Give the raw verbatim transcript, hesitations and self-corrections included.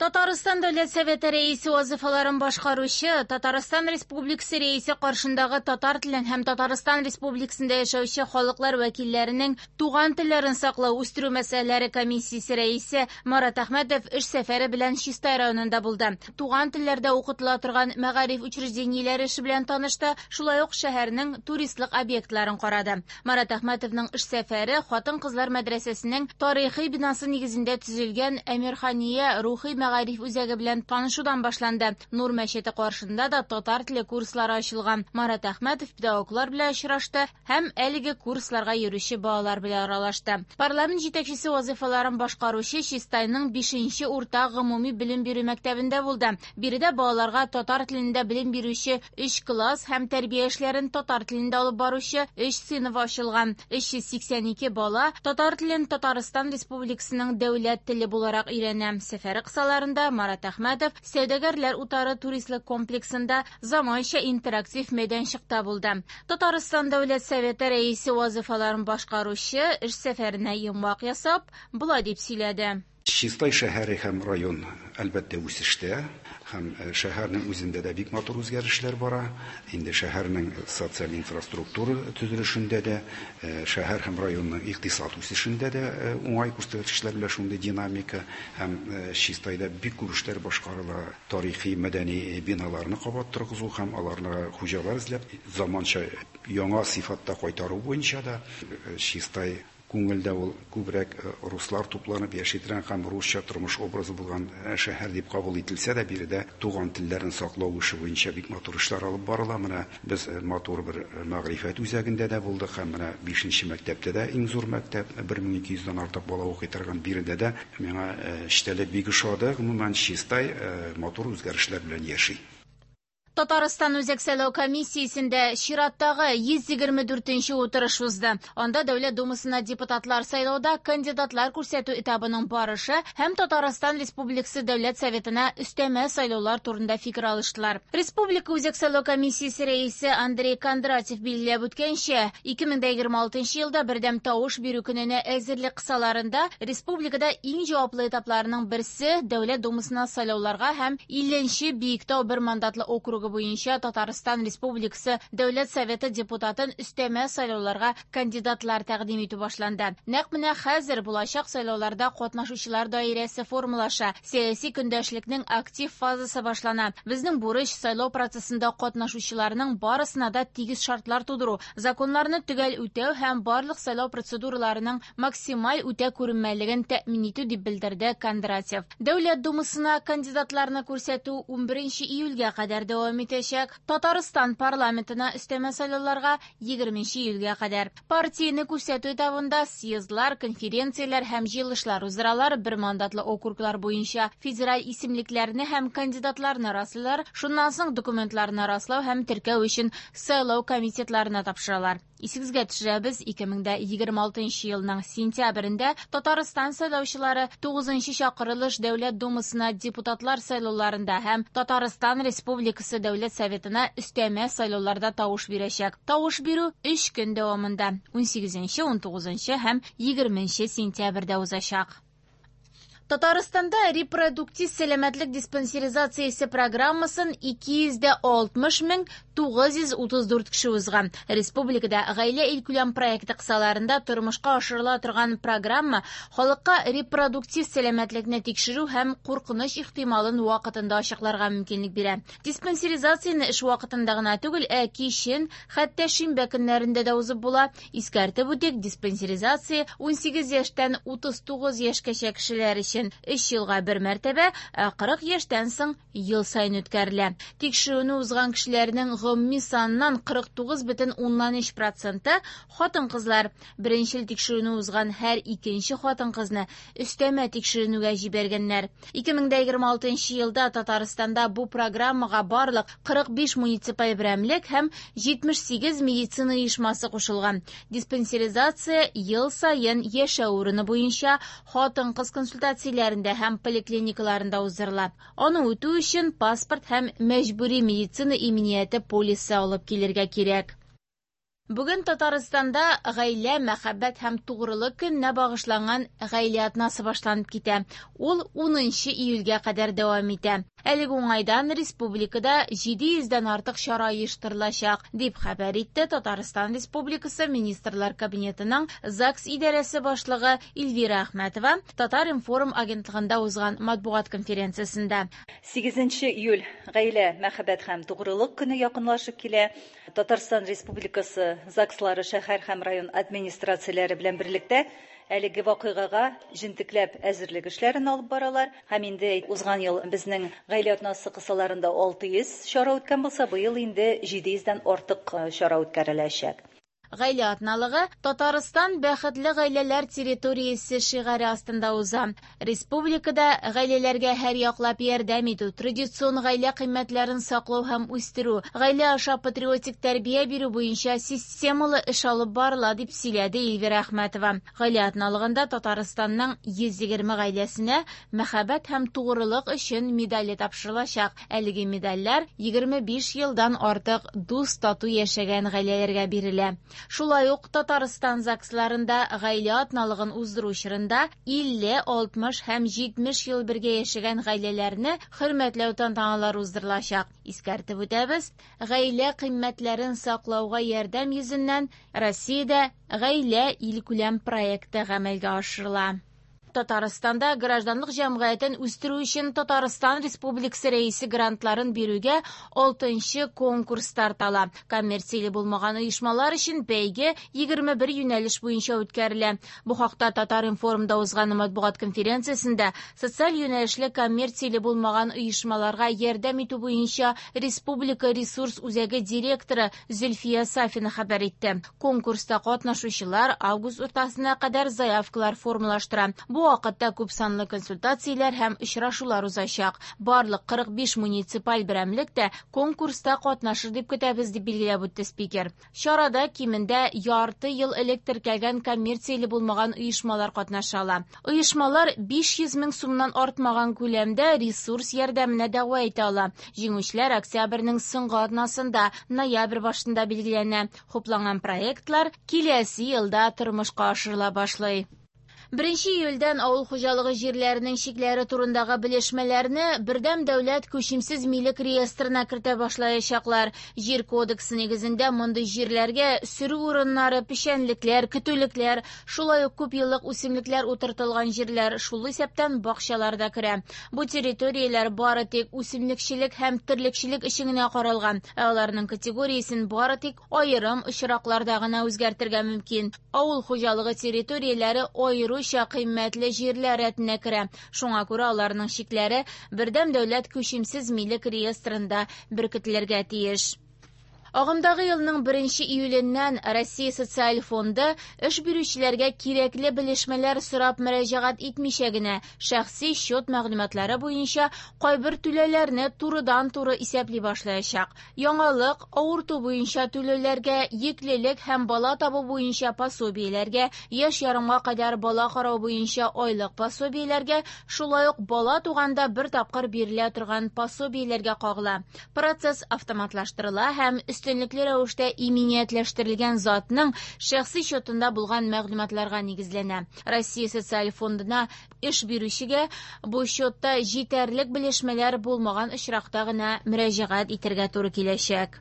Татарстан Дәүләт Советы рәисе вазифаларын башкаручы, Татарстан Республикасы рәисе каршындагы татар телен һәм Татарстан Республикасында яшәүче халыклар вәкилләренең туган телләрен саклау, үстерү мәсьәләләре комиссиясе рәисе Марат Әхмәтов эш сәфәре белән Чистай районында булды. Туган телләрдә укытыла торган мәгариф учреждениеләре эше белән танышты, шулай ук шәһәрнең туристлык объектларын карады. Марат Әхмәтовның эш сәфәре хатын-кызлар мәдрәсәсенең тарихи бинасы нигезендә төзелгән Әмирхания рухи мәгариф үзәге белән танышудан башланды. Нур мәчете каршында да татар теле курслары ачылган. Марат Әхмәтов педагоглар белән очрашты һәм әлеге курсларга йөрүче балалар белән аралашты. Парламент җитәкчесе вазифаларын башкаручы Чистайның бишенче урта гомуми белем бирү мәктәбендә булды. Биредә балаларга татар телендә белем бирүче өч класс һәм тәрбия эшләрен татар телендә алып баручы өч сыйныф ачылган. өч йөз сиксән ике бала татар телен Татарстан Республикасының дәүләт теле буларак өйрәнә. Сәфәре кысаларында Марат Әхмәтов Сәүдәгәрләр утары туристлык комплексында заманча интерактив мәйданчыкта булды. Татарстан Дәүләт Советы рәисе вазифаларын башкаручы эш сәфәренә йомгак ясап, болай дип сөйләде. Чистай шәһәре һәм район әлбәттә үсештә, һәм шәһәрнең үзендә дә бик матур үзгәрешләр бара. Инде шәһәрнең социаль инфраструктура төзелешендә дә, шәһәр һәм районның икътисад үсешендә дә уңай күрсәткечләр белән шундый динамика, һәм Чистайда бик күп эшләр башкарыла. Тарихи, мәдәни биналарны кабат торгызу һәм аларны хуҗалар эзләп заманча яңа сыйфатта кайтару буенча да Чистай күңелдә ул күбрәк руслар тупланып яши торган һәм русча тормыш образы булган шәһәр дип кабул ителсә дә, биредә туган телләрен саклау эше буенча бик матур эшләр алып барыла. Менә без матур бер мәгърифәт үзәгендә дә булдык һәм менә бишенче мәктәптә дә иң зур мәктәп, бер мең ике йөздән артык бала укый торган, биредә дә миңа эчтәлек бик ошады. Гомумән, Чистай матур үзгәрешләр белән яши. Татарстан Үзәк сайлау комиссиясендә чираттагы йөз егерме дүртенче утырыш узды. Анда Дәүләт Думасына депутатлар сайлауда кандидатлар күрсәтү этабының барышы һәм Татарстан Республикасы Дәүләт Советына өстәмә сайлаулар турында фикер алыштылар. Республика Үзәк сайлау комиссиясе рәисе Андрей Кондратьев билгеләп үткәнчә, ике мең дә егерме алтынчы елда бердәм тавыш бирү көненә әзерлек кысаларында республикада иң җаваплы этапларының берсе Дәүләт Думасына сайлауларга һәм илленче Биектау бер мандатлы округы буенча Татарстан Республикасы Дәүләт Советы депутатын өстәмә сайлауларга кандидатлар тәкъдим итү башланды. Нәкъ менә хәзер булачак сайлауларда катнашучылар даирәсе формалаша, сәяси көндәшлекнең актив фазасы башлана. Безнең бурыч сайлау процессында катнашучыларның барысына да тигез шартлар тудыру, законнарны төгәл үтәү һәм барлык сайлау процедураларының максималь үтә күренмәлеген тәэмин итү, дип белдерде Кондратьев. Дәүләт Думасына кандидатларны күрсәтү унберенче июльгә кадәр дәвам итәчәк. Татарстан парламентына өстәмә сайлауларга егерменче июльгә кадәр. Партияне күрсәтү этабында съездлар, конференцияләр һәм җыелышлар уздыралар, бер мандатлы округлар буенча федераль исемлекләрне һәм кандидатларны раслыйлар, шуннан соң документларны раслау һәм теркәү өчен сайлау комитетларына тапшыралар. Исегезгә төшерәбез, ике мең дә егерме алтынчы елның сентябрендә Татарстан сайлаучылары тугызынчы чакырылыш Дәүләт Думасына депутатлар сайлауларында һәм Татарстан Республикасы Дәүләт Советына өстәмә сайлауларда тавыш бирәчәк. Тавыш бирү өч көн дәвамында унсигезенче, унтугызынчы һәм егерменче сентябрьдә узачак. Татарстанда репродуктив сәламәтлек диспансеризациясе программасын ике йөз дә алтмыш мең тугыз йөз утыз дүрт кеше узган. Республикада гаилә илкүләм проекты кысаларында тормышка ашырыла торган программа халыкка репродуктив сәламәтлекне тикшерү һәм куркыныч ихтималын вакытында ачыкларга мөмкинлек бирә. Диспансеризацияне эш вакытында гына түгел, ә кичен, хәтта шимбә көннәрендә дә узып була. Искәртеп үтик, диспансеризация унсигез яшьтән утыз тугыз яшькәчә кешеләр өчен өч елга бер мәртәбә, ә кырык яшьтән соң ел саен үткәрелә. Тикшерүне узган кешеләрнең гомуми саныннан кырык тугыз бөтен уннан өч проценты хатын-кызлар. Беренчел тикшерүне узган һәр икенче хатын-кызны өстәмә тикшеренүгә җибәргәннәр. Ике мең дә егерме алтынчы елда Татарстанда бу программага барлык кырык биш муниципаль берәмлек һәм җитмеш сигез медицина оешмасы кушылган. Диспансеризация ел саен яшәү урыны буенча хатын-кыз консультацияләрендә һәм поликлиникаларында уздырыла. Аны үтү өчен паспорт һәм мәҗбүри медицина иминияте полисы алып килергә кирәк. Бүген Татарстанда гаилә, мәхәббәт һәм тугрылык көненә багышланган гаилә атнасы башланып китә. Ул унынчы июльгә кадәр дәвам итә. Әлеге уңайдан республикада җиде йөздән артык чара оештырылачак, дип хәбәр итте Татарстан Республикасы Министрлар Кабинетының ЗАГС идарәсе башлыгы Эльвира Әхмәтова Татар-информ агентлыгында узган матбугат конференциясендә. Сигезенче июль гаилә, мәхәббәт һәм тугрылык көне якынлашып килә. Татарстан Республикасы ЗАГСлары шәһәр һәм район администрацияләре белән берлектә әлеге вакыйгага җентекләп әзерлек эшләрен алып баралар. Һәм инде узган ел безнең гаилә атнасы кысаларында алты йөз чара үткән булса, быел инде җиде йөздән артык чара үткәреләчәк. Гаилә атналыгы Татарстан бәхетле гаиләләр территориясе шигаре астында уза. Республикада гаиләләргә һәр яклап ярдәм итү, традицион гаилә кыйммәтләрен саклау һәм үстерү, гаилә аша патриотик тәрбия бирү буенча системалы эш алып барыла, дип сөйләде Эльвира Әхмәтова. Гаилә атналыгында Татарстанның йөз егерме гаиләсенә мәхәббәт һәм тугрылык өчен медале тапшырылачак. Әлеге медальләр егерме биш елдан артык дус тату яшәгән гаиләләргә бирелә. Шулай ук Татарстан ЗАГСларында гаилә атналыгын уздыру чорында илле, алтмыш һәм җитмеш ел бергә яшәгән гаиләләрне хөрмәтләү тантаналары уздырылачак. Искәртеп үтәбез, гаилә кыйммәтләрен саклауга ярдәм йөзеннән Россиядә гаилә илкүләм проекты гамәлгә ашырыла. Татарстанда гражданлык җәмгыятен үстерү өчен Татарстан Республикасы рәисе грантларын бирүгә алтынчы конкурс старт ала. Коммерцияле булмаган оешмалар өчен бәйге егерме бер юнәлеш буенча үткәрелә. Бу хакта Татар-информда узган матбугат конференциясендә социаль юнәлешле коммерцияле булмаган оешмаларга ярдәм итү буенча Республика ресурс үзәге директоры Зөлфия Сафина хәбәр итте. Конкурста катнашучылар август уртасына кадәр заявкалар формалаштыра. Бу вакытта күп санлы консультацияләр һәм очрашулар узачак. Барлык кырык биш муниципаль берәмлек тә конкурста катнашыр дип көтәбез, дип билгеләп үтте спикер. Чарада кимендә ярты ел элек теркәлгән коммерцияле булмаган оешмалар катнаша ала. Оешмалар биш йөз мең сумнан артмаган күләмдә ресурс ярдәменә дәгъва итә ала. Җиңүчеләр октябрьнең соңгы атнасында, ноябрь башында билгеләнә. Хупланган проектлар киләсе елда тормышка ашырыла башлый. Беренче июльдән авыл хуҗалыгы җирләренең чикләре турындагы белешмәләрне бердәм дәүләт күчемсез милек реестрына кертә башлаячаклар. Җир кодексы нигезендә мондый җирләргә сөрү урыннары, печәнлекләр, көтүлекләр, шулай ук күп еллык үсемлекләр утыртылган җирләр, шул исәптән бакчалар да керә. Бу территорияләр бары тик үсемлекчелек һәм терлекчелек өчен генә каралган, ә аларның категориясен бары тик аерым очракларда гына үзгәртергә мөмкин. Авыл хуҗалыгы территорияләре аеруча кыйммәтле җирләр рәтенә керә. Шуңа күрә аларның чикләре бердәм дәүләт күчемсез милек реестрында беркетелергә тиеш. Агымдагы елның беренче июленнән Россия Социаль фонды эш бирүчеләргә кирәкле белешмәләр сорап мөрәҗәгать итмичә генә шәхси счет мәгълүматлары буенча кайбер түләүләрне турыдан-туры исәпли башлаячак. Яңалык авырту буенча түләүләргә, йөклелек һәм бала табу буенча пособиеләргә, яшь ярымга кадәр бала карау буенча айлык пособиеләргә, шулай ук бала туганда бер тапкыр бирелә торган пособиеләргә кагыла. Процесс автоматлаштырыла һәм өстенлекле рәвештә иминиятләштерелгән затның шәхси счетында булган мәгълүматларга нигезләнә. Россия Социаль фондына эш бирүчегә бу счетта җитәрлек белешмәләр булмаган очракта гына мөрәҗәгать итәргә туры киләчәк.